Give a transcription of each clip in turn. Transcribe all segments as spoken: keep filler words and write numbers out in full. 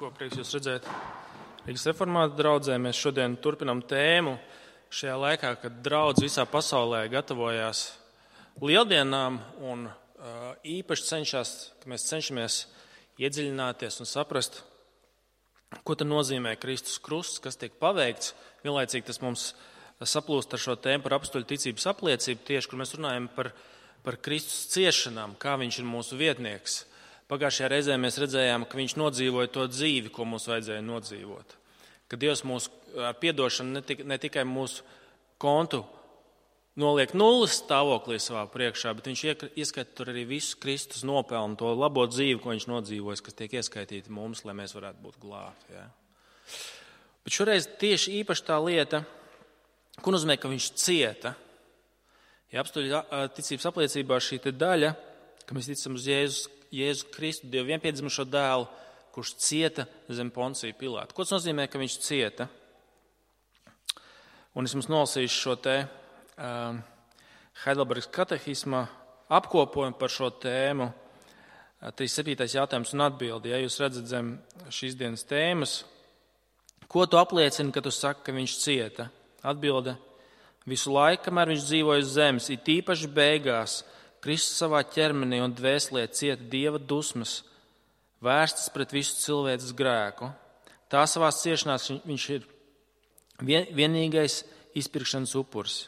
Ko prieks jūs redzēt Rīgas reformātu draudzē. Mēs šodien turpinām tēmu šajā laikā, kad draudze visā pasaulē gatavojās lieldienām un uh, īpaši cenšas, ka mēs cenšamies iedziļināties un saprast, ko tad nozīmē Kristus krusts, kas tiek paveikts. Vienlaicīgi tas mums saplūst ar šo tēmu par apustuļu ticības apliecību, tieši, kur mēs runājam par, par Kristus ciešanām, kā viņš ir mūsu vietnieks. Pagājušajā reizē mēs redzējām, ka viņš nodzīvoja to dzīvi, ko mums vajadzēja nodzīvot. Ka Dievs mūs ar piedošanu ne, tik, ne tikai mūsu kontu noliek nulles stāvoklī savā priekšā, bet viņš ieskaita tur arī visu Kristus nopelnu, to labo dzīvi, ko viņš nodzīvojas, kas tiek ieskaitīti mums, lai mēs varētu būt glābti. Ja? Bet šoreiz tieši īpaši tā lieta, ko nozīmē, ka viņš cieta. Ja apustuļu ticības apliecībā šī te daļa, ka mēs ticam uz Jēzus, Jēzu Kristu, Dievu vienpiedzimušo dēlu, kurš cieta zem Poncija Pilāta. Ko tas nozīmē, ka viņš cieta? Un es jums nolasīšu šo te uh, Heidelbergas katehisma apkopojumu par šo tēmu. Uh, trīsdesmit septītais jautājums un atbildi. Ja jūs redzat zem šīs dienas tēmas, ko tu apliecini, ka tu saki, ka viņš cieta? Atbilde: visu laiku, kamēr viņš dzīvoja uz zemes, it īpaši beigās, Kristus savā ķermenī un dvēselē cieta Dieva dusmas, vērstas pret visu cilvēces grēku. Tā savās ciešanās viņš ir vien, vienīgais izpirkšanas upuris.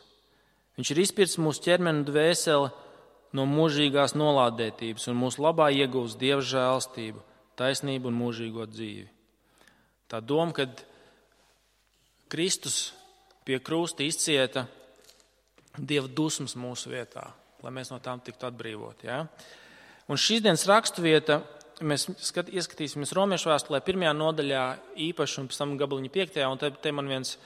Viņš ir izpircis mūsu ķermeni un dvēseli no mūžīgās nolādētības un mūsu labā iegūst Dieva žēlstību, taisnību un mūžīgo dzīvi. Tā doma, kad Kristus pie krusta izcieta Dieva dusmas mūsu vietā, lai mēs no tām tiktu atbrīvoti. Ja? Un šīs dienas raksturvieta mēs skat, ieskatīsimies Romiešu vēstulē pirmajā nodaļā īpaši un pēc tam gabaliņa piektajā, un te, te man viens,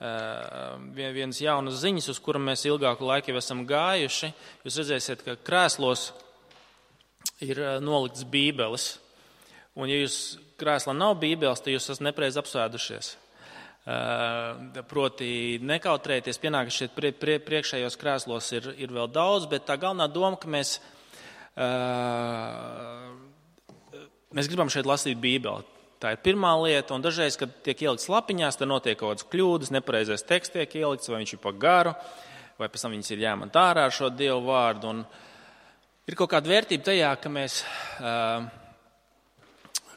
uh, viens jaunas ziņas, uz kura mēs ilgāku laiku jau esam gājuši. Jūs redzēsiet, ka krēslos ir nolikts bībeles, un ja jūs krēslā nav bībeles, tad jūs esat nepareizi apsēdušies. Uh, proti nekautrēties, pienāk, ka šeit prie, prie, priekšējos krēslos ir, ir vēl daudz, bet tā galvenā doma, ka mēs, uh, mēs gribam šeit lasīt Bībeli. Tā ir pirmā lieta, un dažreiz, kad tiek ielikts lapiņās, tad notiek kaut kādas kļūdas, nepareizais teksts tiek ielikts, vai viņš ir pa garu, vai pēc tam viņas ir jāmant ārā ar šo Dievu vārdu. Un ir kaut kāda vērtība tajā, ka mēs... Uh,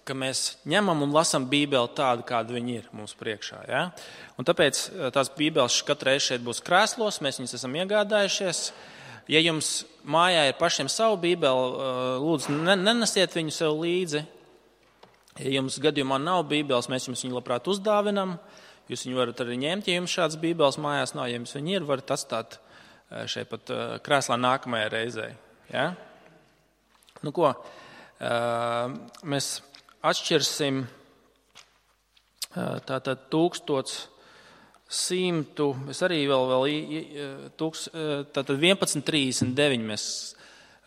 ka mēs ņemam un lasam Bībeli tādu, kāda viņa ir mums priekšā. Ja? Un tāpēc tās Bībeles katru reizi šeit būs krēslos, mēs viņas esam iegādājušies. Ja jums mājā ir pašiem savu Bībeli, lūdzu, nenesiet viņu sev līdzi. Ja jums gadījumā nav Bībeles, mēs jums viņu labprāt uzdāvinam. Jūs viņu varat arī ņemt, ja jums šāds Bībeles mājās nav. Ja jums viņi ir, varat atstāt šeit pat krēslā nākamajai reizei. Ja? Nu ko, mēs... Atšķirsim tātad tūkstots simtu, es arī vēl, vēl tūks, tātad vienpadsmit trīsdesmit deviņi mēs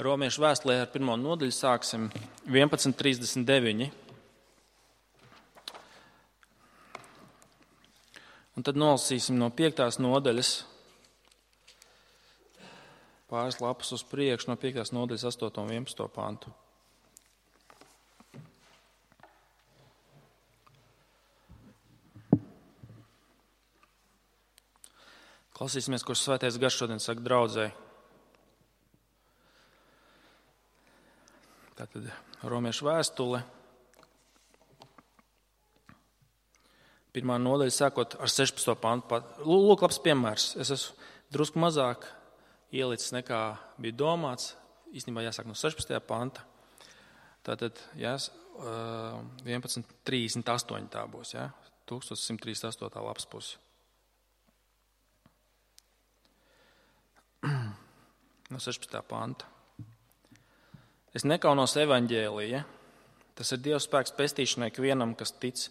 Romiešu vēstulē ar pirmo nodaļu sāksim, vienpadsmit trīsdesmit deviņi. Un tad nolasīsim no piektās nodaļas, pāris lapas uz priekšu, no piektās nodaļas astoto un vienpadsmito pantu. Klausīsimies, ko Svētais Gars šodien saka draudzei. Tātad Romiešu vēstule. Pirmā nodaļa sākot ar sešpadsmito pantu. Lūk, labs piemērs. Es esmu drusku mazāk ielicis nekā bija domāts. Īstenībā jāsāk no sešpadsmitā panta. Tātad jās, vienpadsmit trīsdesmit astoņi tā būs. Ja? tūkstoš simt trīsdesmit astotā lapas pusi. No sešpadsmitā panta. Es nekaunos evaņģēlija. Tas ir Dieva spēks pestīšanai ikvienam, kas tic,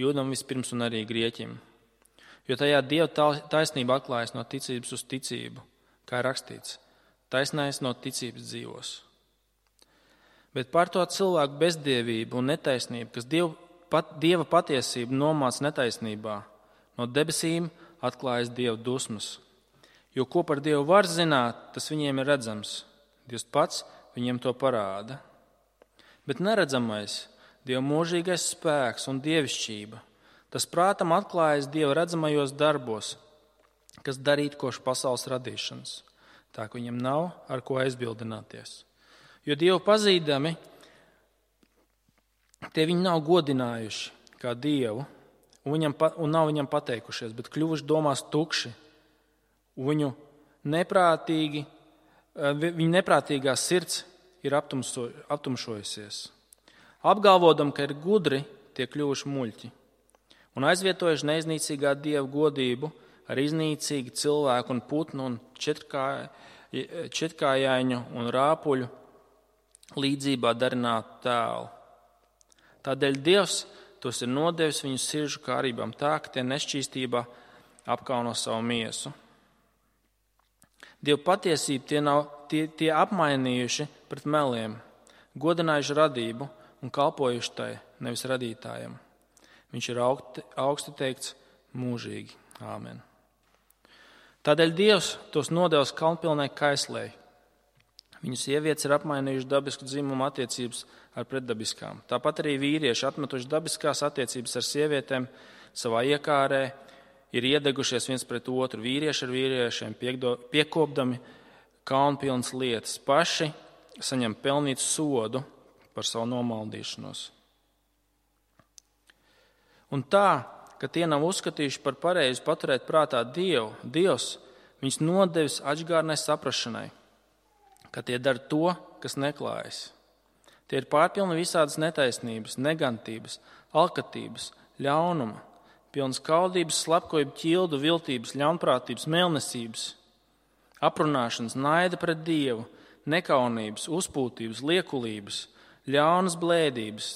jūdam vispirms un arī grieķim. Jo tajā Dieva taisnība atklājas no ticības uz ticību, kā ir rakstīts, taisnais no ticības dzīvos. Bet par to cilvēku bezdievību un netaisnību, kas Dievu, pat, Dieva patiesību nomāca netaisnībā, no debesīm atklājas Dieva dusmas. Jo ko par Dievu var zināt, tas viņiem ir redzams. Dievs pats viņiem to parāda. Bet neredzamais, Dieva mūžīgais spēks un dievišķība. Tas prātam atklājas Dieva redzamajos darbos, kas darīt koši pasaules radīšanas. Tā, ka viņam nav ar ko aizbildināties. Jo Dievu pazīdami, tie viņi nav godinājuši kā Dievu, un, viņam, un nav viņam pateikušies, bet kļuvuši domās tukši. Viņu neprātīgi, viņu neprātīgā sirds ir aptumso, aptumšojusies. Apgalvodam, ka ir gudri, tie kļuvuši muļķi. Un aizvietojuši neiznīcīgā Dieva godību ar iznīcīgu cilvēku un putnu un četrkā, četrkājaiņu un rāpuļu līdzībā darinātu tēlu. Tādēļ Dievs tos ir nodevis viņu sirdžu kārībām tā, ka tie nešķīstībā apkauno savu miesu. Dieva patiesību tie, nav, tie, tie apmainījuši pret meliem, godinājuši radību un kalpojuši tai, nevis radītājam. Viņš ir augti, augsti teikts mūžīgi. Āmen. Tādēļ Dievs tos nodevis kalnpilnai kaislei. Viņu sievietes ir apmainījuši dabisku dzimumu attiecības ar pretdabiskām. Tāpat arī vīrieši atmetuši dabiskās attiecības ar sievietēm savā iekārē, ir iedegušies viens pret otru, vīrieši ar vīriešiem, piekdo, piekopdami kaunpilnas lietas, paši saņem pelnīt sodu par savu nomaldīšanos. Un tā, ka tie nav uzskatījuši par pareizi paturēt prātā Dievu, Dievs viņus nodevis atžgārnai saprašanai, ka tie dara to, kas neklājas. Tie ir pārpilni visādas netaisnības, negantības, alkatības, ļaunuma, pilnas kaudības, slepkavību, ķildu, viltības, ļaunprātības, mēlnesības, aprunāšanas, naida pret Dievu, nekaunības, uzpūtības, liekulības, ļaunas blēdības,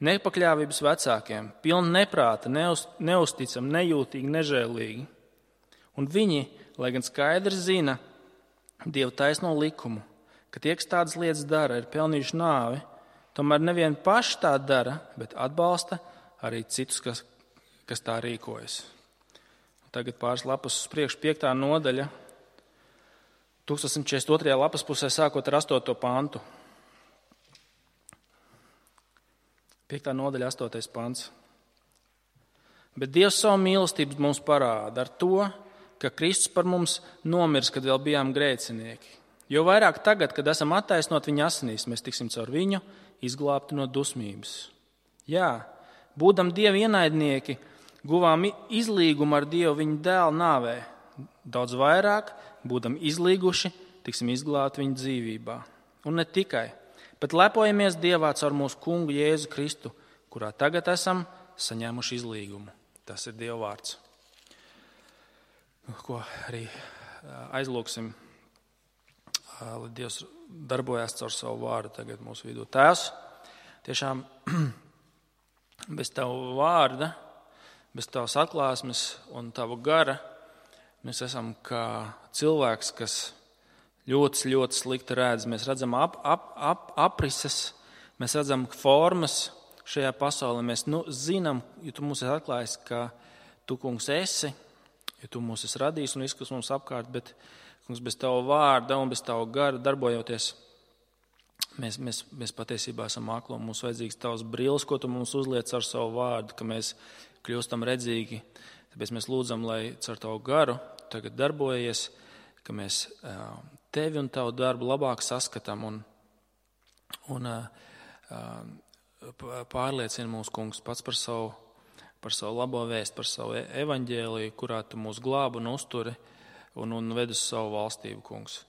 nepakļāvības vecākiem, pilni neprāta, neuz, neusticami, nejūtīgi, nežēlīgi. Un viņi, lai gan skaidri zina Dieva taisno likumu, ka tie, kas tādas lietas dara, ir pelnījuši nāvi, tomēr nevien paši tā dara, bet atbalsta arī citus, kas, kas tā rīkojas. Un tagad pāris lapas uz priekšu, piektā nodaļa, simt četrdesmit otrajā lapas pusē, sākot ar astoto pantu. Piektā nodaļa, astotais pants. Bet Dievs savu mīlestību mums parāda ar to, ka Kristus par mums nomirs, kad vēl bijām grēcinieki. Jo vairāk tagad, kad esam attaisnot viņa asinīs, mēs tiksim caur viņu izglābti no dusmības. Jā, būdam Dieva ienaidnieki, guvām izlīgumu ar Dievu viņa dēla nāvē. Daudz vairāk, būdam izlīguši, tiksim izglābti viņa dzīvībā. Un ne tikai, bet lepojamies Dievā caur mūsu kungu Jēzu Kristu, kurā tagad esam saņēmuši izlīgumu. Tas ir Dieva vārds. Ko arī aizlūksim, lai Dievs darbojas caur savu vārdu tagad mūsu vidū. Tēvs, tiešām bez Tava vārda, bez Tavas atklāsmes un Tava gara, mēs esam kā cilvēks, kas ļoti, ļoti slikti redz. Mēs redzam ap, ap, ap, aprises, mēs redzam formas šajā pasaulē. Mēs nu, zinām, jo Tu mums esi atklājis, ka Tu, kungs, esi, jo Tu mūs esi radījis un viss, kas mums apkārt, bet, kungs, bez Tava vārda un bez Tava gara darbojoties, mēs, mēs, mēs patiesībā esam akli un mums vajadzīgs Tavs brilles, ko Tu mums uzliec ar savu vārdu, ka mēs kļūstam redzīgi. Tāpēc mēs lūdzam, lai caur Tavu garu tagad darbojies, ka mēs Tevi un Tavu darbu labāk saskatām un, un pārliecina mūsu kungs pats par savu, par savu labo vēstu, par savu evaņģēliju, kurā Tu mūs glābi un uzturi un, un ved uz savu valstību, kungs.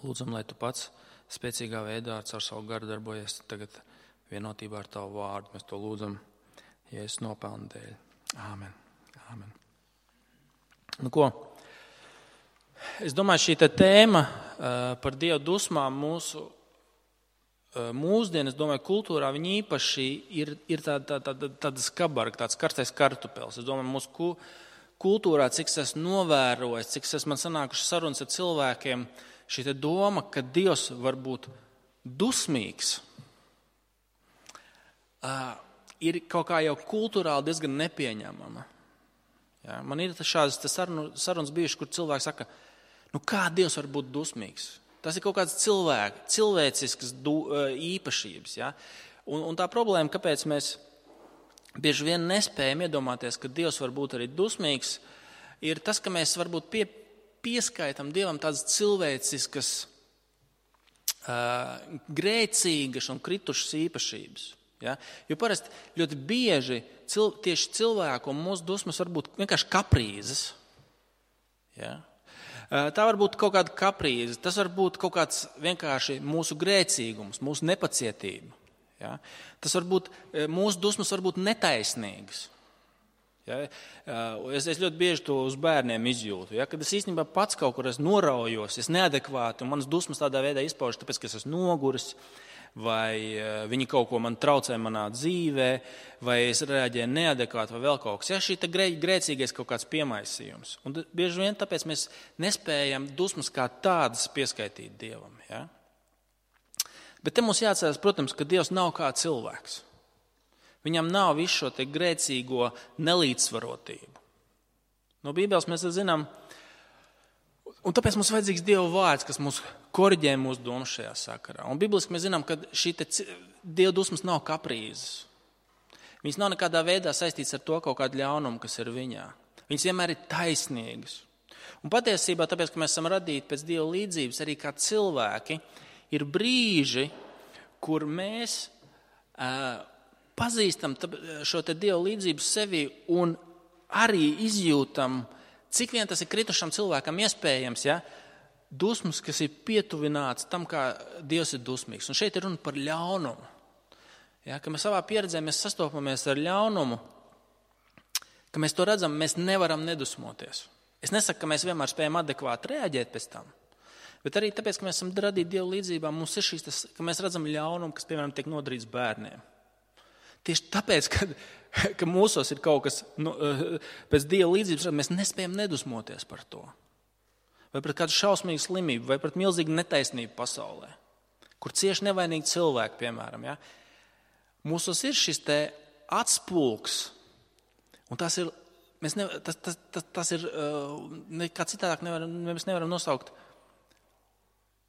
Lūdzam, lai Tu pats spēcīgā veidā caur savu garu darbojies tagad vienotībā ar Tavu vārdu. Mēs to lūdzam Jēzus nopelna dēļ. Āmen. Āmen. Nu ko? Es domāju, šī tēma par Dieva dusmām mūsu mūsdienas, domāju, kultūrā viņa īpaši ir, ir tāda, tāda, tāda skabarga, tāds karstais kartupels. Es domāju, mūsu kultūrā, cik es esmu novērojis, cik es esmu man sanākuši sarunas ar cilvēkiem, šī doma, ka Dievs var būt dusmīgs, ir kaut kā jau kultūrāli diezgan nepieņemama. Jā, man ir šādas sarunas bijušas, kur cilvēki saka, nu kā Dievs var būt dusmīgs? Tas ir kaut kāds cilvēks, cilvēcisks du, īpašības. Ja? Un, un tā problēma, kāpēc mēs bieži vien nespējam iedomāties, ka Dievs var būt arī dusmīgs, ir tas, ka mēs varbūt pie, pieskaitam Dievam tādas cilvēciskas, uh, grēcīgas un kritušas īpašības. Ja? Jo parasti ļoti bieži cil, tieši cilvēku un mūsu dusmas var būt vienkārši kaprīzes. Ja? Tā var būt kaut kāda kaprīze, tas var būt kaut kāds vienkārši mūsu grēcīgums, mūsu nepacietība. Ja? Tas var būt, mūsu dusmas var būt netaisnīgas. Ja? Es, es ļoti bieži to uz bērniem izjūtu. Ja? Kad es īstenībā pats kaut kur esmu noraujos, es neadekvāti, un manas dusmas tādā veidā izpaužas, tāpēc, ka es esmu noguris, vai viņi kaut ko man traucē manā dzīvē, vai es reaģēju neadekvāti, vai vēl kaut kas. Ja, šī grē, grēcīgais kaut kāds piemaisījums. Un bieži vien tāpēc mēs nespējam dusmas kā tādas pieskaitīt Dievam. Ja? Bet te mums jāatcerās, protams, ka Dievs nav kā cilvēks. Viņam nav visu šo te grēcīgo nelīdzsvarotību. No Bībeles mēs zinām, un tāpēc mums vajadzīgs Dieva vārds, kas mūs koriģē mūsu domas šajā sakarā. Un bibliski mēs zinām, ka šī te Dieva dusmas nav kaprīzes. Viņas nav nekādā veidā saistītas ar to kaut kādu ļaunumu, kas ir viņā. Viņas vienmēr ir taisnīgas. Un patiesībā, tāpēc, ka mēs esam radīti pēc Dieva līdzības, arī kā cilvēki, ir brīži, kur mēs uh, pazīstam šo te Dieva līdzību sevi un arī izjūtam, cik vien tas ir kritušam cilvēkam iespējams, ja, dusmas, kas ir pietuvināts tam, kā Dievs ir dusmīgs. Un šeit ir runa par ļaunumu. Ja, ka mēs savā pieredzē mēs sastopamies ar ļaunumu, ka mēs to redzam, mēs nevaram nedusmoties. Es nesaku, ka mēs vienmēr spējam adekvāti reaģēt pēc tam, bet arī tāpēc, ka mēs esam radīti Dieva līdzībā, mums ir šīs, tas, ka mēs redzam ļaunumu, kas, piemēram, tiek nodarīts bērniem. Tieši tāpēc, ka, ka mūsos ir kaut kas, nu, pēc Dieva līdzības, mēs nespējam nedusmoties par to. Vai pret kādu šausmīgu slimību, vai pret milzīgu netaisnību pasaulē, kur cieši nevainīgi cilvēki, piemēram. Ja? Mūsos ir šis te atspulks, un tas ir, mēs ne, tas, tas, tas, tas ir, nekā citādāk nevaram, mēs nevaram nosaukt,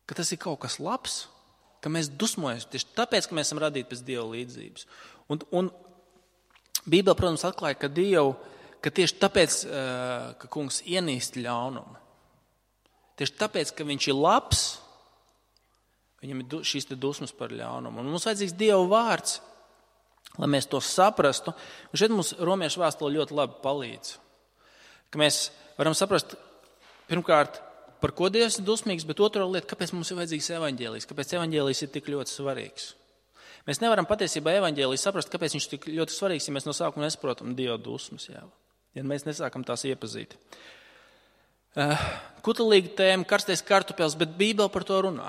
ka tas ir kaut kas labs, ka mēs dusmojamies tieši tāpēc, ka mēs esam radīti pēc Dieva līdzības. Un, un Bībele, protams, atklāja, ka Dievu, ka tieši tāpēc, ka kungs ienīst ļaunumu, tieši tāpēc, ka viņš ir labs, viņam ir šīs te dusmas par ļaunumu. Un mums vajadzīgs Dieva vārds, lai mēs to saprastu. Un šeit mums Romiešu vēstule ļoti labi palīdz. Ka mēs varam saprast, pirmkārt, par ko Dievs ir dusmīgs, bet otrā lieta, kāpēc mums ir vajadzīgs evaņģēlijs, kāpēc evaņģēlijs ir tik ļoti svarīgs. Mēs nevaram patiesībā evaņģēlijs saprast, kāpēc viņš ir tik ļoti svarīgs, ja mēs no sākuma nesaprotam Dieva dusmas, jā. Ja mēs nesākam tās iepazīt. Uh, kutelīga tēma, karstais kartupels, bet Bībele par to runā.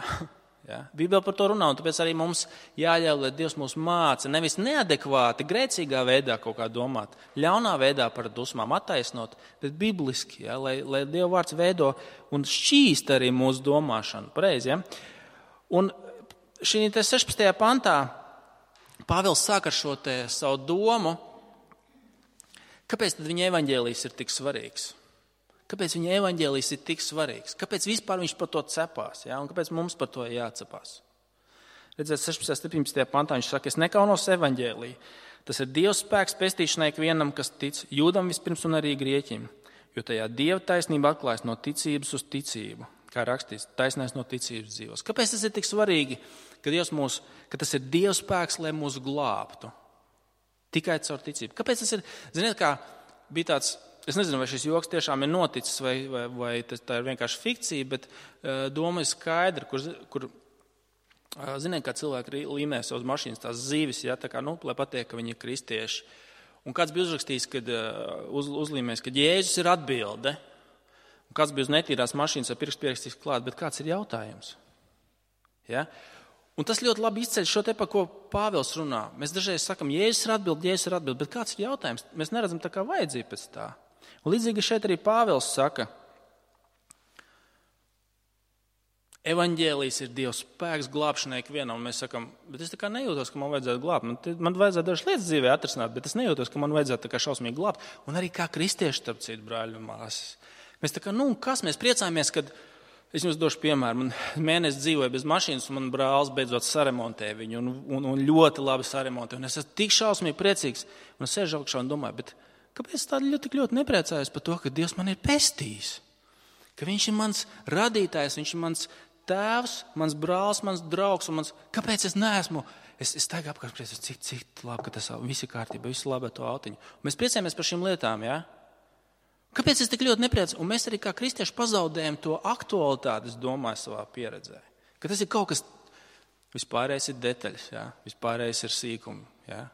Ja? Bībele par to runā, un tāpēc arī mums jāļauj, lai Dievs mūs māca, nevis neadekvāti, grēcīgā veidā kaut kā domāt, ļaunā veidā par dusmām attaisnot, bet bibliski, ja? lai, lai Dieva vārds veido un šķīst arī mūsu domāšanu. Pareizi, ja? Un šī te sešpadsmitajā pantā Pāvils sāk ar šo te savu domu, kāpēc tad viņa evaņģēlijs ir tik svarīgs? Kāpēc viņa evaņģēlijs ir tik svarīgs? Kāpēc vispār viņš par to cepās? Ja? Un kāpēc mums par to jācepās? Redzēt, sešpadsmitajā septiņpadsmitajā pantā viņš saka, es nekaunos evaņģēliju. Tas ir Dieva spēks pestīšanai ikvienam, kas tic, jūdam vispirms un arī grieķim. Jo tajā Dieva taisnība atklājas no ticības uz ticību. Kā rakstīts, taisnais no ticības dzīvos. Kāpēc tas ir tik svarīgi, ka, Dievs mūs, ka tas ir Dieva spēks, lai mūs glābtu? Tikai caur ticību. Kāpēc tas ir? Ziniet, kā bija tāds... Es nezinu, vai šis joks tiešām ir noticis, vai, vai, vai tas, tā ir vienkārši fikcija, bet uh, doma ir skaidra, kur, kur uh, ziniet, kā cilvēki līmē savas mašīnas, tās zīves, ja, tā kā, nu, lai patiek, ka viņi ir kristieši. Un kāds bija uzrakstījis, kad uh, uz, uzlīmēs, ka Jēzus ir atbilde, un kāds bija uz netīrās mašīnas ar pirkstu pierakstīts klāt, bet kāds ir jautājums? Ja? Un tas ļoti labi izceļ šo te, pa ko Pāvils runā. Mēs dažreiz sakam, Jēzus ir atbilde, Jēzus ir atbilde, bet kāds ir jautājums? Mēs neredzam tā kā vajadzību pēc tā. Un līdzīgi šeit arī Pāvils saka, evaņģēlijs ir Dieva spēks glābšanai ikvienam, un mēs sakam, bet es tā kā nejūtos, ka man vajadzētu glābt. Man, man vajadzētu dažas lietas dzīvē atrisināt, bet es nejūtos, ka man vajadzētu tā kā šausmīgi glābt. Un arī kā kristieši, starp citu, brāļi un māsas. Mēs tā kā, nu, kas mēs priecājamies, kad Es jums došu piemēru. Man mēnesi dzīvoja bez mašīnas, un man brālis beidzot saremontēja viņu, un, un, un ļoti labi saremontēja. Un es esmu tik šausmīgi priecīgs, un es sēžu augšā un domāju, bet kāpēc tā ļoti, tik ļoti nepriecājos par to, ka Dievs man ir pestījis? Ka viņš ir mans radītājs, viņš ir mans tēvs, mans brālis, mans draugs, un mans... Kāpēc es neesmu? Es, es tagad apkārt priecājos, cik, cik labi, ka tas viss ir kārtībā, viss labi ar to autiņu. Un mēs priecājamies par šīm lietām, jā? Ja? Kāpēc es tik ļoti nepriecāju? Un mēs arī kā kristieši pazaudējam to aktualitāti, es domāju, savā pieredzē. Ka tas ir kaut kas, vispārējais ir detaļas, jā? Vispārējais ir sīkumi. Jā?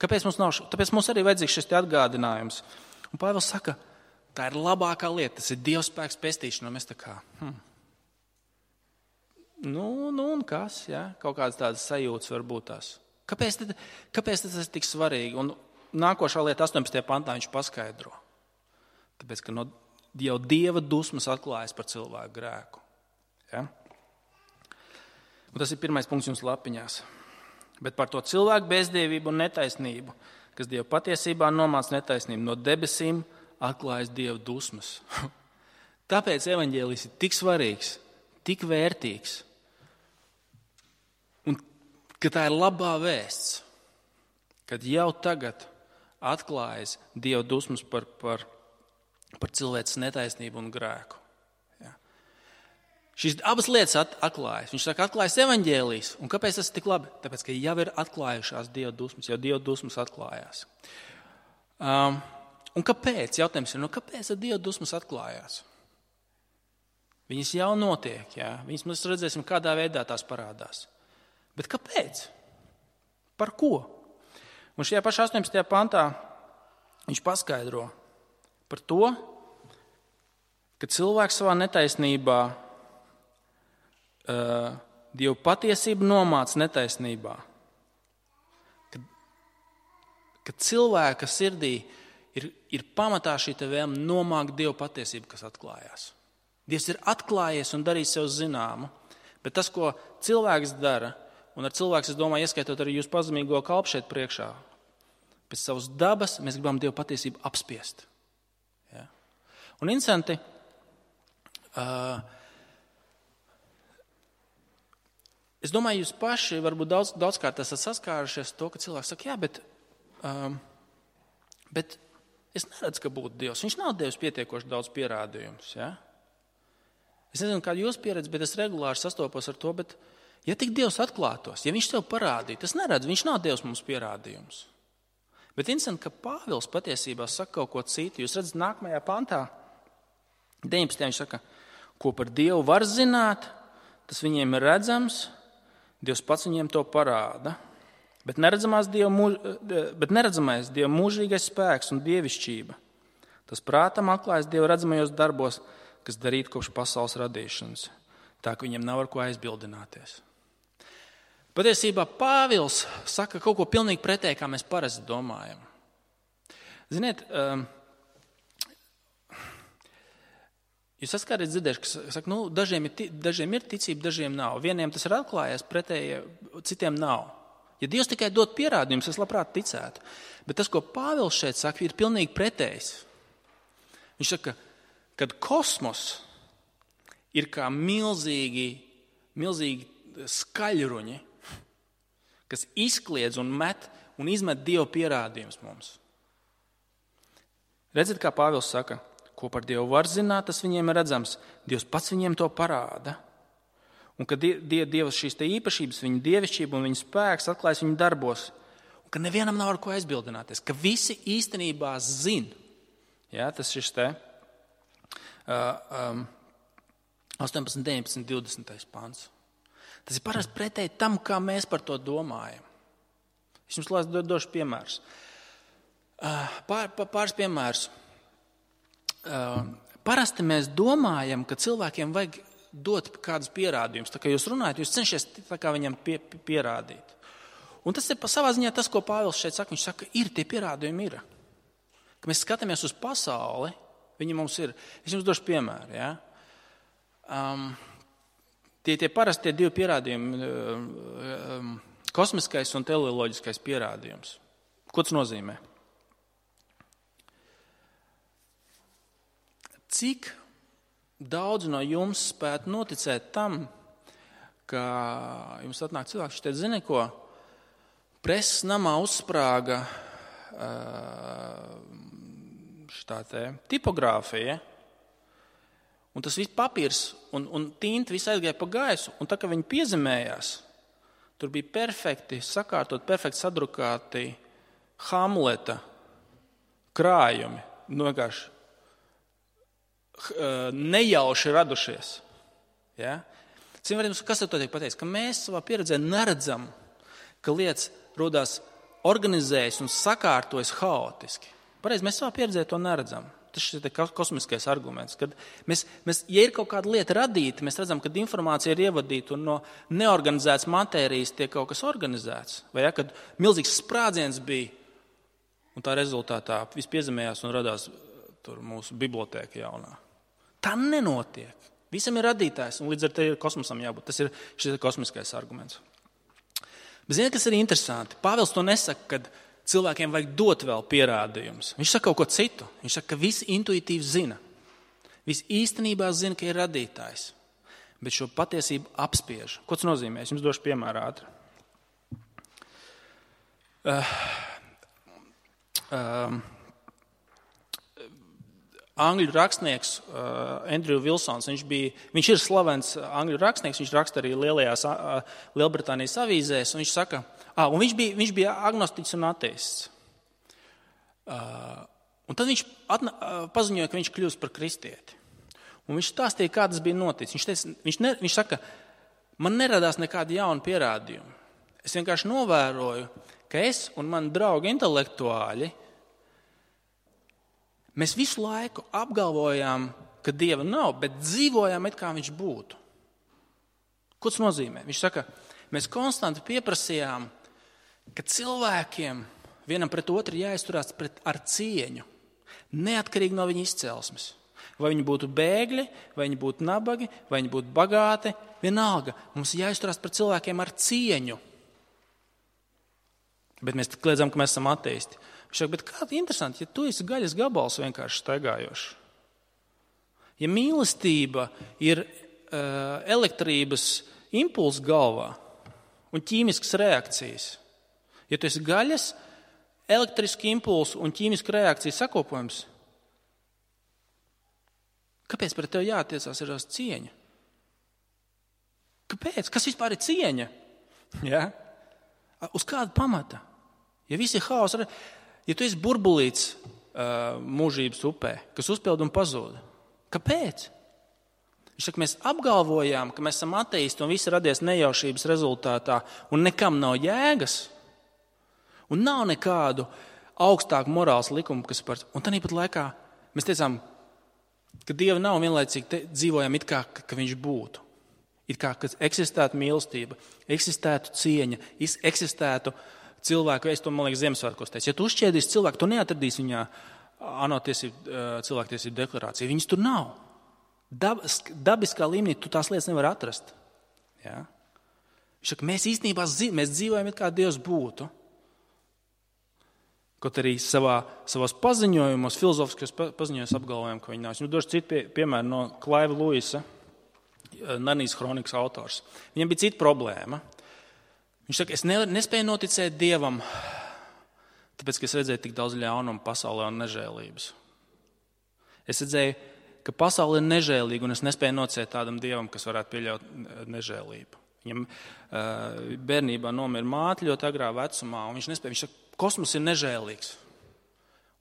Kāpēc mums nav? Tāpēc mums arī vajadzīgs šis atgādinājums. Un Pāvils saka, tā ir labākā lieta, tas ir Dieva spēks pestīšana. Un mēs tā kā, hm. nu, nu un kas, jā? Kaut kādas tādas sajūtas var būt tās. Kāpēc, tad, kāpēc tas ir tik svarīgi? Un nākošā lieta astoņpadsmitajā pantā viņš paskaidro. Tāpēc, ka no jau Dieva dusmas atklājas par cilvēku grēku. Ja? Un tas ir pirmais punkts jums lapiņās. Bet par to cilvēku bezdievību un netaisnību, kas Dievu patiesībā nomāc netaisnību, no debesīm atklājas Dieva dusmas. Tāpēc evaņģēlijs ir tik svarīgs, tik vērtīgs. Un ka tā ir labā vēsts, kad jau tagad atklājas Dieva dusmas par, par par cilvēces netaisnību un grēku. Ja. Šīs abas lietas atklājas. Viņš saka, atklājas evaņģēlijs. Un kāpēc tas ir tik labi? Tāpēc, ka jau ir atklājušās Dieva dusmas, jau Dieva dusmas atklājās. Um, un kāpēc? Jautājums ir, nu kāpēc Dieva dusmas atklājās? Viņas jau notiek, ja. Viņas mēs redzēsim, kādā veidā tās parādās. Bet kāpēc? Par ko? Un šajā pašā astoņpadsmitajā pantā viņš paskaidro par to, ka cilvēks savā netaisnībā uh, Dievu patiesību nomāc netaisnībā. Kad, kad cilvēka sirdī ir, ir pamatā šī te vēlme nomākt Dievu patiesību, kas atklājās. Dievs ir atklājies un darījis sev zināmu, bet tas, ko cilvēks dara, un ar cilvēks, es domāju, ieskaitot arī jūs pazemīgo kalpu šeit priekšā, pēc savas dabas mēs gribam Dievu patiesību apspiest. Un interesanti, uh, es domāju, jūs paši varbūt daudz, daudzkārt esat saskārušies to, ka cilvēks saka, jā, bet, um, bet es neredzu, ka būtu Dievs. Viņš nav devis pietiekoši daudz pierādījumus. Ja? Es nezinu, kāda jūs pieredze, bet es regulāri sastopos ar to, bet ja tik Dievs atklātos, ja viņš sev parādītu, es neredzu, viņš nav devis mums pierādījumus. Bet interesanti, ka Pāvils patiesībā saka kaut ko citu. Jūs redzat, nākamajā pantā, deviņpadsmitajā viņš saka, ko par Dievu var zināt, tas viņiem ir redzams, Dievs pats viņiem to parāda. Bet, Dievu mūž, bet neredzamais Dieva mūžīgais spēks un dievišķība, tas prātam atklājas Dieva redzamajos darbos, kas darīti kopš pasaules radīšanas, tā ka viņiem nav ar ko aizbildināties. Patiesībā Pāvils saka kaut ko pilnīgi pretēji, kā mēs parasti domājam. Ziniet, um, jūs esat kādreiz dzirdējuši, ka saka, nu, dažiem ir, dažiem ir ticība, dažiem nav. Vieniem tas ir atklājies, pretēji citiem nav. Ja Dievs tikai dod pierādījumus, es labprāt ticētu. Bet tas, ko Pāvils šeit saka, ir pilnīgi pretējs. Viņš saka, kad kosmos ir kā milzīgi, milzīgi skaļruņi, kas izkliedz un met un izmet Dieva pierādījumus mums. Redziet, kā Pāvils saka, ko par Dievu var zināt, tas viņiem ir redzams. Dievs pats viņiem to parāda. Un ka Dieva šīs te īpašības, viņa dievišķība un viņa spēks atklājas viņa darbos. Un ka nevienam nav ar ko aizbildināties. Ka visi īstenībā zin. Jā, tas šis te uh, um, astoņpadsmit, deviņpadsmit, divdesmit pants. Tas ir parasti pretēji tam, kā mēs par to domājam. Es jums došu piemērus. Uh, pār, pāris piemērus. Uh, parasti mēs domājam, ka cilvēkiem vajag dot kādus pierādījumus. Tā kā jūs runājat, jūs cenšaties tā kā viņam pie, pierādīt. Un tas ir pa savā ziņā tas, ko Pāvils šeit saka. Viņš saka, ir tie pierādījumi ir. Ka mēs skatāmies uz pasauli, viņi mums ir. Es jums došu piemēru. Ja? Um, tie, tie parasti tie divi pierādījumi, um, kosmiskais un teleoloģiskais pierādījums. Ko tas nozīmē? Cik daudz no jums spētu noticēt tam, ka jums atnāk cilvēks, viņš teica, zini ko, preses namā uzsprāga šitā te tipogrāfija, un tas viss papīrs un, un tinta viss aizgāja pa gaisu, un tā, ka viņi piezemējās, tur bija perfekti sakārtot, perfekti sadrukāti Hamleta krājumi, nu vienkārši nejauši radušies. Ja? Kas ar to tiek pateicis? Ka mēs savā pieredzē neredzam, ka lietas rodās organizējas un sakārtojas haotiski. Pareizi, mēs savā pieredzē to neredzam. Tas ir kosmiskais arguments. Kad mēs, mēs, ja ir kaut kāda lieta radīta, mēs redzam, ka informācija ir ievadīta un no neorganizētas matērijas tiek kaut kas organizēts. Vai ja, kad milzīgs sprādziens bija un tā rezultātā viss piezemējās un radās tur mūsu bibliotēka jaunā. Tā nenotiek. Visam ir radītājs, un līdz ar to ir kosmosam jābūt. Tas ir šis kosmiskais arguments. Bet ziniet, kas ir interesanti? Pāvils to nesaka, kad cilvēkiem vajag dot vēl pierādījumus. Viņš saka kaut ko citu. Viņš saka, ka visi intuitīvi zina. Visi īstenībā zina, ka ir radītājs. Bet šo patiesību apspiež. Ko tas nozīmē? Es jums došu piemēru ātri. Uh, uh, Angļu rakstnieks uh, Andrew Wilsons, viņš, bija, viņš ir slavens angļu rakstnieks, viņš raksta arī lielajās uh, Lielbritānijas avīzēs, un viņš saka, ah, un viņš bija, viņš bija agnostiķis un ateists. Uh, un tad viņš atna, uh, paziņoja, ka viņš kļūst par kristieti. Un viņš stāstīja, kā tas bija noticis. Viņš, teica, viņš, ne, viņš saka, man neradās nekādi jauni pierādījumi. Es vienkārši novēroju, ka es un mani draugi intelektuāļi mēs visu laiku apgalvojām, ka Dieva nav, bet dzīvojām, it kā viņš būtu. Ko tas nozīmē? Viņš saka, mēs konstanti pieprasījām, ka cilvēkiem vienam pret otru jāizturās pret, ar cieņu, neatkarīgi no viņa izcelsmes. Vai viņi būtu bēgļi, vai viņi būtu nabagi, vai viņi būtu bagāti, vienalga. Mums jāizturās pret cilvēkiem ar cieņu. Bet mēs kliedzam, ka mēs esam ateisti. Viņš saka, bet kā interesanti, ja tu esi gaļas gabals vienkārši staigājošs. Ja mīlestība ir uh, elektrības impulss galvā un ķīmiskas reakcijas, ja tu esi gaļas, elektriski impulss un ķīmiska reakcija sakopojums, kāpēc pret tevi jātiecās ir uz cieņa? Kāpēc? Kas vispār ir cieņa? Ja? Uz kāda pamata? Ja visi ir haos, ja tu esi burbulīts uh, mūžības upē, kas uzpild un pazūd, kāpēc? Viņš saka, mēs apgalvojām, ka mēs esam ateisti un viss radies nejaušības rezultātā un nekam nav jēgas un nav nekādu augstāku morāls likumu, kas par... Un tāpat laikā mēs teicām, ka Dieva nav vienlaicīgi te, dzīvojam it kā, ka viņš būtu. It kā, ka eksistētu mīlestība, eksistētu cieņa, eksistētu cilvēku, es to, man liekas, Ziemassvētkos teicu. Ja tu uzšķiedīsi cilvēku, tu neatradīsi viņā ANO tiesību, cilvēktiesību deklarāciju. Viņas tur nav. Dab, dabiskā līmenī tu tās lietas nevar atrast. Ja? Viņš saka, mēs īstenībā mēs dzīvojam, it kā Dievs būtu. Kaut arī savā, savos paziņojumos, filozofiskos paziņojumos apgalvojam, ka viņi nav. Es jums došu citu pie, piemēru no Klaiva Luisa, Narnijas kronikas autors. Viņam bija cita problēma. Viņš saka, es ne, nespēju noticēt Dievam, tāpēc, ka es redzēju tik daudz ļaunumu pasaulē un nežēlības. Es redzēju, ka pasaule ir nežēlīga, un es nespēju noticēt tādam Dievam, kas varētu pieļaut nežēlību. Viņam uh, bērnībā nomira māte ļoti agrā vecumā, un viņš nespēja, viņš saka, kosmos ir nežēlīgs.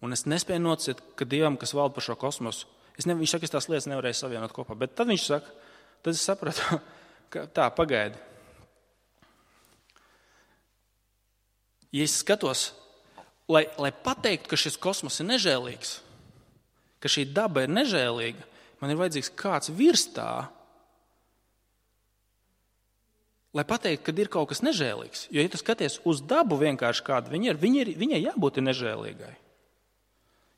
Un es nespēju noticēt, ka Dievam, kas valda par šo kosmosu, es ne, viņš saka, es tās lietas nevarēju savienot kopā. Bet tad viņš saka, tad es sapratu, ka tā, pagaidi. Ja es skatos, lai, lai pateiktu, ka šis kosmos ir nežēlīgs, ka šī daba ir nežēlīga, man ir vajadzīgs kāds virs tā, lai pateiktu, ka ir kaut kas nežēlīgs. Jo, ja tu skaties uz dabu vienkārši kādu, viņa ir, viņa ir, viņai jābūt nežēlīgai.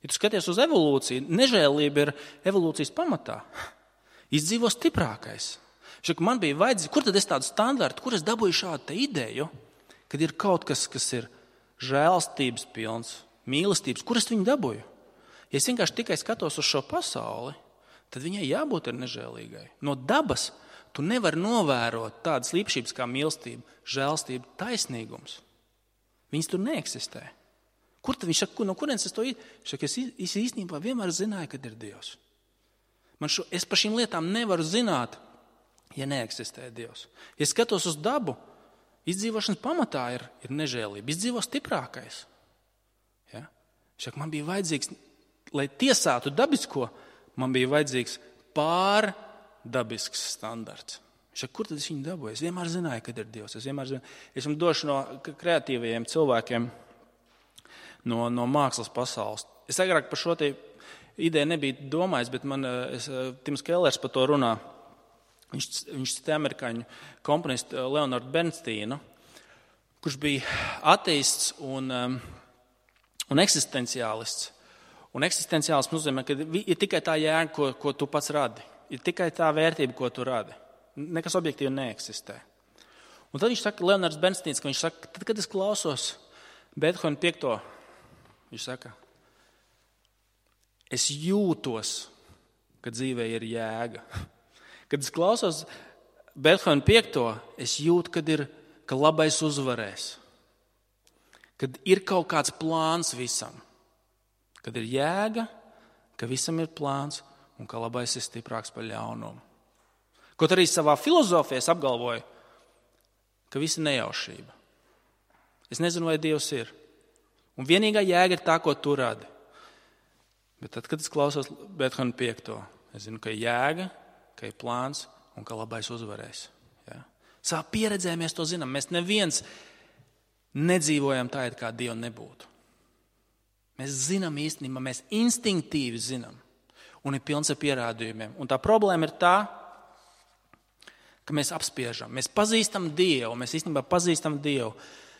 Ja tu skaties uz evolūciju, nežēlība ir evolūcijas pamatā. Izdzīvo stiprākais. Šak, man bija vajadzīgs, kur tad es tādu standartu, kur es dabūju šādu ideju, kad ir kaut kas, kas ir žēlstības pilns, mīlestības, kur es viņu dabūju? Ja es vienkārši tikai skatos uz šo pasauli, tad viņai jābūt ir nežēlīgai. No dabas tu nevari novērot tādas īpašības kā mīlestība, žēlstība, taisnīgums. Viņas tur neeksistē. Kur tad viņš saka, no kurienes es to īsti? Viņš saka, es īstenībā vienmēr zināju, kad ir Dievs. Man šo, es par šīm lietām nevaru zināt, ja neeksistē Dievs. Ja skatos uz dabu, izdzīvošanas pamatā ir, ir nežēlība. Izdzīvo stiprākais. Ja? Viņš saka, man bija vajadzīgs, lai tiesātu dabisko, man bija vajadzīgs pārdabisks standarts. Viņš saka, kur tad es viņu dabūju? Es vienmēr zināju, kad ir Dievs. Es vienmēr zināju. Es jums došu no kreatīvajiem cilvēkiem, no, no mākslas pasaules. Es agrāk par šo te ideju nebiju domājis, bet man es, Tims Kellers par to runā. Viņš, viņš citē amerikāņu komponistu Leonardu Bernsteinu, kurš bija ateists un, um, un eksistenciālists. Un eksistenciālists nozīmē, ka ir tikai tā jēga, ko, ko tu pats radi. Ir tikai tā vērtība, ko tu radi. Nekas objektīvi neeksistē. Un tad viņš saka, Leonards Bernsteins, ka viņš saka, tad, kad es klausos Beethovena piekto, viņš saka, es jūtos, ka dzīvē ir jēga. Kad es klausos Beethovena piekto, es jūtu, kad ir, ka labais uzvarēs. Kad ir kaut kāds plāns visam. Kad ir jēga, ka visam ir plāns un ka labais ir stiprāks par ļaunumu. Kaut arī savā filozofijā es apgalvoju, ka viss ir nejaušība. Es nezinu, vai Dievs ir. Un vienīgā jēga ir tā, ko tu radi. Bet tad, kad es klausos Beethovena piekto, es zinu, ka ir jēga, ka ir plāns un ka labais uzvarēs. Ja? Savā pieredzē mēs to zinām. Mēs neviens nedzīvojam tā, it kā Dieva nebūtu. Mēs zinām īstenībā, mēs instinktīvi zinām. Un ir pilns ar pierādījumiem. Un tā problēma ir tā, ka mēs apspiežam. Mēs pazīstam Dievu, mēs īstenībā pazīstam Dievu,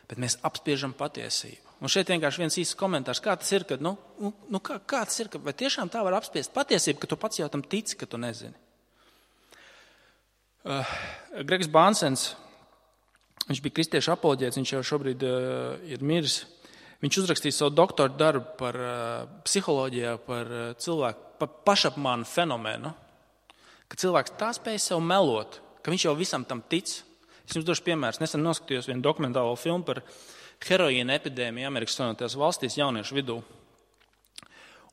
bet mēs apspiežam patiesību. Un šeit vienkārši viens īsts komentārs, kā tas ir, kad, nu, nu, kā, kā tas ir, ka, vai tiešām tā var apspiest patiesību, ka tu pats jau tam tici, ka tu nezini. Uh, Gregs Bansens, viņš bija kristiešu apoloģēts, viņš jau šobrīd uh, ir miris. Viņš uzrakstīja savu doktora darbu par uh, psiholoģijā, par uh, cilvēku, par pašapmānu fenomenu, ka cilvēks tā spēj sev melot, ka viņš jau visam tam tic. Es jums došu piemērs. Nesen noskatījos vienu dokumentālo filmu par heroīna epidēmiju Amerikas Savienotajās valstīs jauniešu vidū.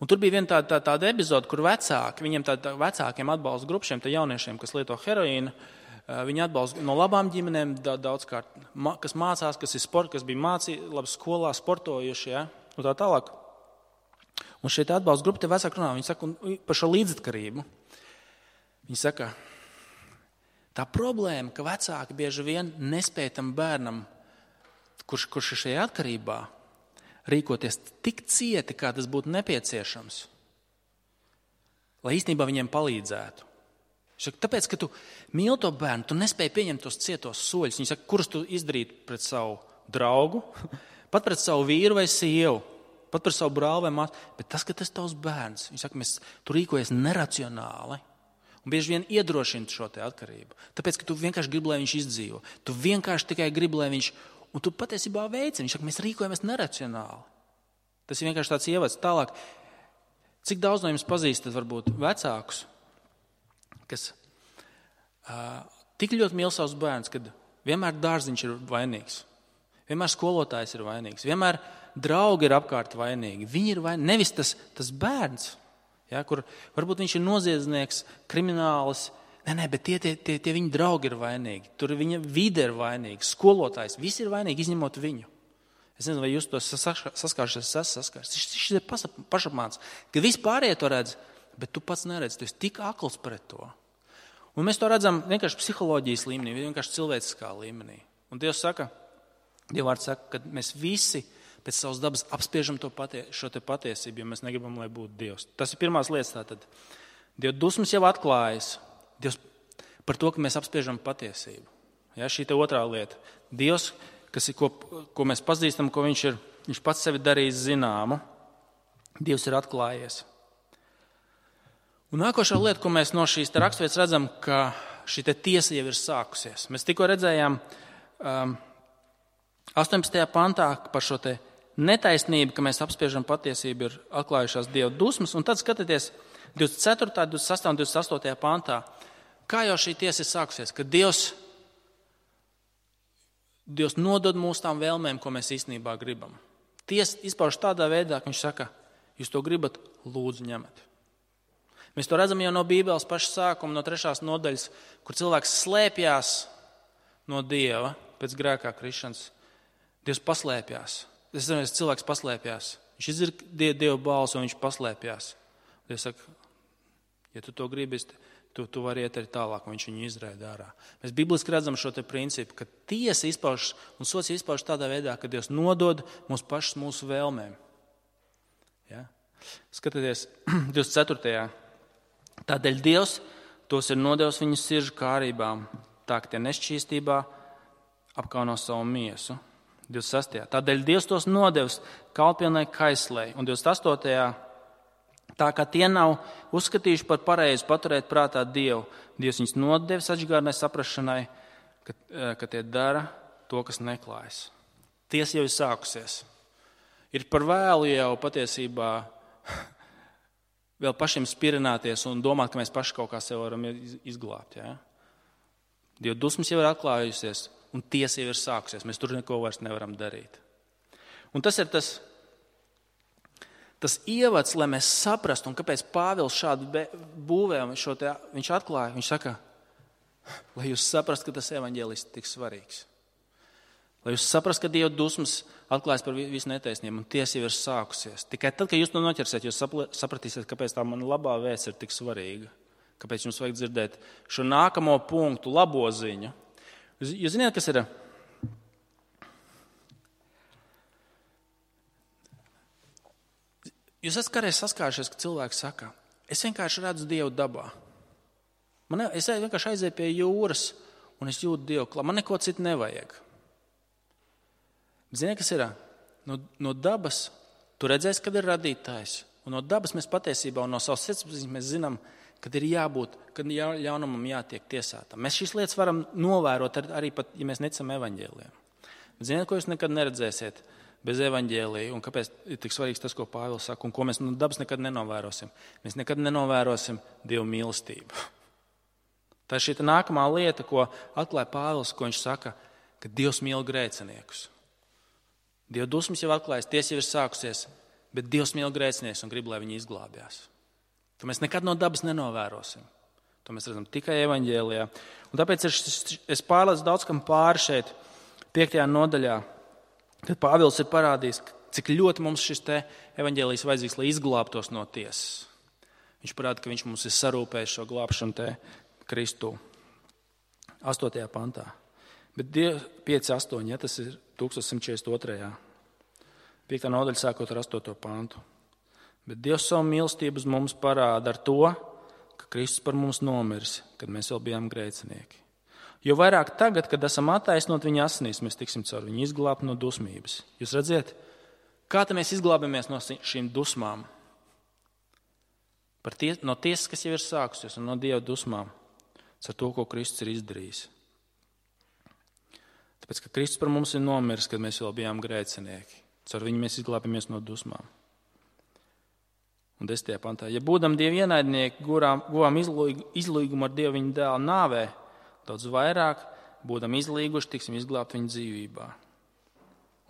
Un tur bija viena tāda, tā, tāda epizode, kur vecāki, viņiem tāda vecākiem atbalsta grupu šiem jauniešiem, kas lieto heroīnu, viņi atbalsta no labām ģimenēm daudzkārt, kas mācās, kas ir sport, kas bija mācī, labi skolā sportojuši, ja, un tā tālāk. Un šeit atbalsta grupa te vecāki runā, viņi saka par šo līdzatkarību. Viņi saka, tā problēma, ka vecāki bieži vien nespēj tam bērnam, kurš, kurš ir šajā atkarībā, rīkoties tik cieti, kā tas būtu nepieciešams, lai īstenībā viņiem palīdzētu. Saka, tāpēc, ka tu mīli to bērnu, tu nespēji pieņemt tos cietos soļus. Viņi saka, kurus tu izdarītu pret savu draugu, pat pret savu vīru vai sievu, pat pret savu brāli vai māsu, bet tas, ka tas tavs bērns, viņi saka, mēs tu rīkojies neracionāli un bieži vien iedrošina šo te atkarību. Tāpēc, ka tu vienkārši gribi, lai viņš izdzīvo. Tu vienkārši tikai gribi, lai viņš, un tu patiesībā veici. Viņš saka, mēs rīkojamies neracionāli. Tas ir vienkārši tāds ievads. Tālāk, cik daudz no jums pazīstat varbūt vecākus, kas uh, tik ļoti mīl savus bērnus, kad vienmēr dārziņš ir vainīgs, vienmēr skolotājs ir vainīgs, vienmēr draugi ir apkārt vainīgi. Viņi ir vainīgi, nevis tas, tas bērns, ja, kur varbūt viņš ir noziedznieks, kriminālis, nē, nē, bet tie, tie, tie, tie viņa draugi ir vainīgi, tur viņa vide ir vainīga, skolotājs, visi ir vainīgi, izņemot viņu. Es nezinu, vai jūs to saskāršies, es esmu saskāršies. Šis ir pašapmāns, ka visi pārējie to redz, bet tu pats neredz, tu esi tik akls pret to. Un mēs to redzam vienkārši psiholoģijas līmenī, vienkārši cilvēciskā līmenī. Un Dievs saka, Dieva vārds saka, ka mēs visi pēc savas dabas apspiežam to patie, šo te patiesību, jo mēs negribam, lai būtu Dievs. Tas ir pirmās lietas tātad. Dieva dusmas jau atklājas. Dievs par to, ka mēs apspiežam patiesību. Ja, šī te otrā lieta. Dievs, kas ir, ko, ko mēs pazīstam, ko viņš ir, viņš pats sevi darījis zināmu. Dievs ir atklājies. Un nākošā lieta, ko mēs no šīs te raksturvietas redzam, ka šī te tiesa jau ir sākusies. Mēs tikko redzējām um, astoņpadsmitajā pantā par šo te netaisnību, ka mēs apspiežam patiesību, ir atklājušās Dieva dusmas, un tad skatieties divdesmit ceturtajā, divdesmit sastajā un divdesmit astotajā pantā. Kā jau šī tiesa ir sākusies, ka Dievs, Dievs nodod mūsu tām vēlmēm, ko mēs īstenībā gribam. Tiesa izpauž tādā veidā, ka viņš saka, jūs to gribat, lūdzu ņemat. Mēs to redzam jau no Bībeles paša sākuma, no trešās nodaļas, kur cilvēks slēpjās no Dieva pēc grēkā krišanas. Dievs paslēpjās. Es zinu, cilvēks paslēpjās. Viņš izdzird Dieva balsi un viņš paslēpjās. Dievs saka, ja tu to gribi, tu, tu vari iet arī tālāk, un viņš viņu izraida ārā. Mēs bibliski redzam šo te principu, ka tiesa izpauž un sots izpauž tādā veidā, ka Dievs nodod mums pašas mūsu vēlmēm. Ja? Skatieties, divdesmit ceturtajā. Tādēļ Dievs tos ir nodevis viņu siržu kārībām, tā ka tie nešķīstībā apkauno savu miesu. divdesmit sastajā. Tādēļ Dievs tos nodevis kalpilnai kaislei. Un divdesmit astotajā. Tā kā tie nav uzskatījuši par pareizi paturēt prātā Dievu, Dievs viņus nodevis atžgārnai saprašanai, ka, ka tie dara to, kas neklājas. Tiesa jau ir sākusies. Ir par vēlu jau patiesībā vēl pašiem spirināties un domāt, ka mēs paši kaut kā sev varam izglābt. Ja? Dieva dusmas jau ir atklājusies un tiesa jau ir sākusies. Mēs tur neko vairs nevaram darīt. Un tas ir tas, tas ievads, lai mēs saprastu, un kāpēc Pāvils šādu būvē šo te, viņš atklāja. Viņš saka, lai jūs saprastu, ka tas evaņģēlis ir tik svarīgs. Lai jūs saprastu, ka Dieva dusmas atklājas par visu netaisnību, un tiesa jau ir sākusies. Tikai tad, kad jūs to noķersiet, jūs sapratīsiet, kāpēc tā man labā vēsts ir tik svarīga. Kāpēc jums vajag dzirdēt šo nākamo punktu, labo ziņu. Jūs zināt, kas ir? Jūs esat kādreiz saskārušies, ka cilvēks saka, es vienkārši redzu Dievu dabā. Man ne, es vienkārši aizēju pie jūras, un es jūtu Dievu klāt. Man neko citu nevajag. Ziniet, kas ir? No, no dabas tu redzēsi, kad ir radītājs. Un no dabas mēs patiesībā un no savas sirdsapziņas mēs zinām, kad ir jābūt, kad ļaunumam jātiek tiesātam. Mēs šīs lietas varam novērot arī pat, ja mēs neticam evaņģēlijam. Ziniet, ko jūs nekad neredzēsiet bez evaņģēlija un kāpēc ir tik svarīgs tas, ko Pāvils saka un ko mēs no dabas nekad nenovērosim. Mēs nekad nenovērosim Dievu mīlestību. Tā ir šī nākamā lieta, ko atklāja Pāvils, ko viņš saka, ka Dievs mīl grēciniekus. Dieva dusmas jau atklājas, tiesa jau ir sākusies, bet Dievs mīl grēcinieks un grib, lai viņi izglābjās. To mēs nekad no dabas nenovērosim. To mēs redzam tikai evaņģēlijā. Un tāpēc es, es pārlecu daudz kam pāri šeit, piektajā nodaļā, kad Pāvils ir parādījis, cik ļoti mums šis te evaņģēlijs vajadzīgs, lai izglābtos no tiesas. Viņš parāda, ka viņš mums ir sarūpējis šo glābšanu te Kristū. astotajā pantā. Bet pieci astoņi, ja, tas ir tūkstoš simt četrdesmit otrajā. Piektā nodaļa sākot ar astoto pantu. Bet Dievs savu mīlestību uz mums parāda ar to, ka Kristus par mums nomirs, kad mēs vēl bijām grēcinieki. Jo vairāk tagad, kad esam attaisnot viņa asinīs, mēs tiksim caur viņu izglābt no dusmības. Jūs redziet, kā te mēs izglābamies no šīm dusmām? Par tie, no tiesas, kas jau ir sākusies, un no Dieva dusmām, ar to, ko Kristus ir izdarījis. Tāpēc, ka Kristus par mums ir nomiris, kad mēs vēl bijām grēcinieki. Caur viņu mēs izglābamies no dusmām. Un desmitajā pantā. Ja būdam Dieva ienaidnieki, guvām izlīgumu ar Dievu viņa dēla nāvē, daudz vairāk būdam izlīguši, tiksim izglābt viņa dzīvībā.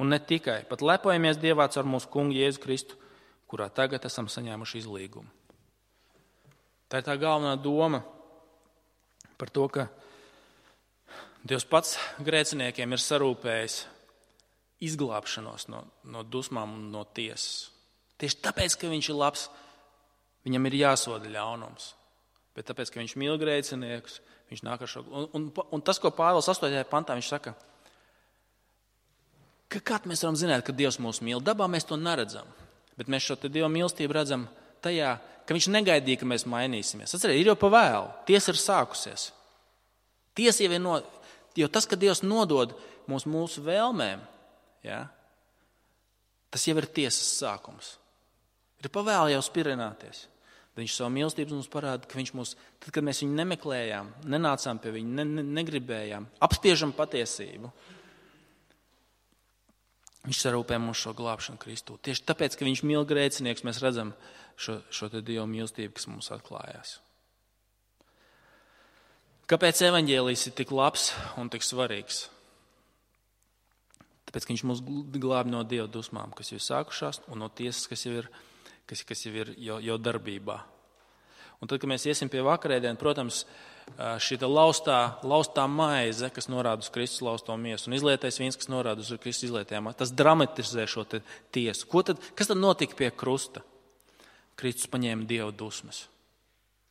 Un ne tikai, pat lepojamies Dievā caur mūsu kungu Jēzu Kristu, kurā tagad esam saņēmuši izlīgumu. Tā ir tā galvenā doma par to, ka Dievs pats grēciniekiem ir sarūpējis izglābšanos no, no dusmām un no tiesas. Tieši tāpēc, ka viņš ir labs, viņam ir jāsoda ļaunums. Bet tāpēc, ka viņš mīl grēciniekus, viņš nāk ar šo. Un, un, un tas, ko Pāvils astotajā pantā, viņš saka, ka kā mēs varam zināt, ka Dievs mūs mīl? Dabā mēs to neredzam. Bet mēs šo te Dieva mīlestību redzam tajā, ka viņš negaidīja, ka mēs mainīsimies. Atcerieties, ir jau pa vēlu. Tiesa ir sākusies. Tiesa jau ir no, jo tas, ka Dievs nodod mūs mūsu vēlmēm, ja, tas jau ir tiesas sākums. Ir pavēli jau spirināties. Bet viņš savu mīlestību mums parāda, ka viņš mūs, tad, kad mēs viņu nemeklējām, nenācām pie viņa, ne, ne, negribējām, apspiežam patiesību. Viņš sarūpē mums šo glābšanu Kristū. Tieši tāpēc, ka viņš mīl grēcinieks, mēs redzam šo, šo te Dieva mīlestību, kas mums atklājās. Kāpēc evaņģēlijs ir tik labs un tik svarīgs? Tāpēc, ka viņš mūs glāb no Dieva dusmām, kas jau ir sākušās, un no tiesas, kas jau ir, kas, kas jau ir jau, jau darbībā. Un tad, kad mēs iesim pie vakarēdienu, protams, šī laustā, laustā maize, kas norāda uz Kristus lausto miesu, un izlietais vīns, kas norāda uz Kristus izlietajām, tas dramatizē šo tiesu. Ko tad, kas tad notika pie krusta? Kristus paņēma Dieva dusmas.